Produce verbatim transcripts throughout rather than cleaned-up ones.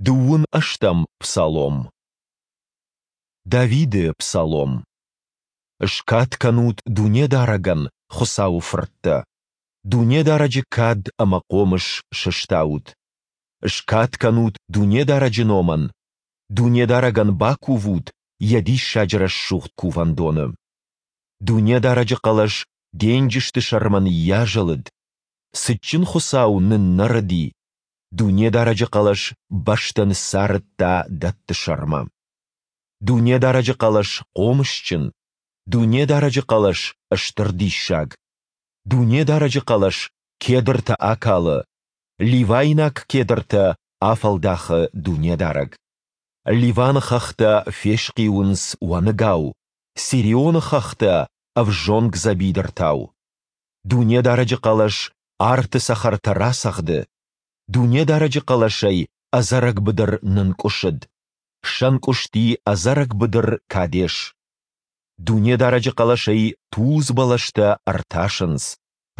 Дыууын ӕстӕм псалом. Давиды псалом. Скад кӕнут Дунедарӕгӕн, Хуыцауы фырттӕ! Дунедарӕджы кад ӕмӕ хъомыс сыстаут! Скад кӕнут Дунедарӕджы номӕн! Дунедарӕгӕн бакувут Йӕ диссаджы рӕсугъд Кувӕндоны! Дунедарӕджы хъӕлӕс денджызты сӕрмӕ ныййазӕлыд, цытджын Хуыцау ныннӕрыди, Дунедарӕджы хъӕлӕс бӕстӕ ныццарыдта дӕтты сӕрмӕ. Дунедарӕджы хъӕлӕс хъомысджын, Дунедарӕджы хъӕлӕс стыр диссаг. Дунедарӕджы хъӕлӕс кедртӕ акалы, ливайнаг кедртӕ афӕлдахы Дунедарӕг. Ливаны хӕхтӕ фесхъиуынц уӕныгау, Сирионы хӕхтӕ ӕвзонг дзӕбидыртау. Дунедарӕджы хъӕлӕс арты цӕхӕртӕ рацӕгъды, Дунедарӕджы хъӕлӕсӕй ӕдзӕрӕг быдыр нынкъуысыд, сӕнкъуысти ӕдзӕрӕг быдыр Кадес. Дунедарӕджы хъӕлӕсӕй тулдз бӕлӕстӕ ӕртасынц,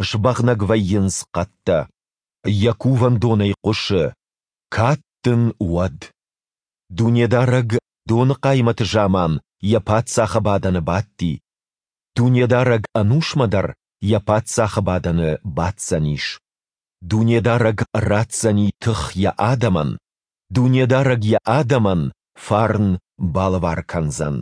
сбӕгънӕг вӕййынц хъӕдтӕ. Йӕ кувӕндонӕй хъуысы: «Кад дын уӕд!» Дунедарӕг доны хъаймӕты заман йӕ паддзахы бадӕны бадти. Дунедарӕг ӕнусмӕ дӕр йӕ паддзахы бадӕны баддзӕнис. Дунедарӕг ратдзӕни тых Йӕ адӕмӕн, Дунедарӕг Йӕ адӕмӕн фарн балӕвар кӕндзӕн.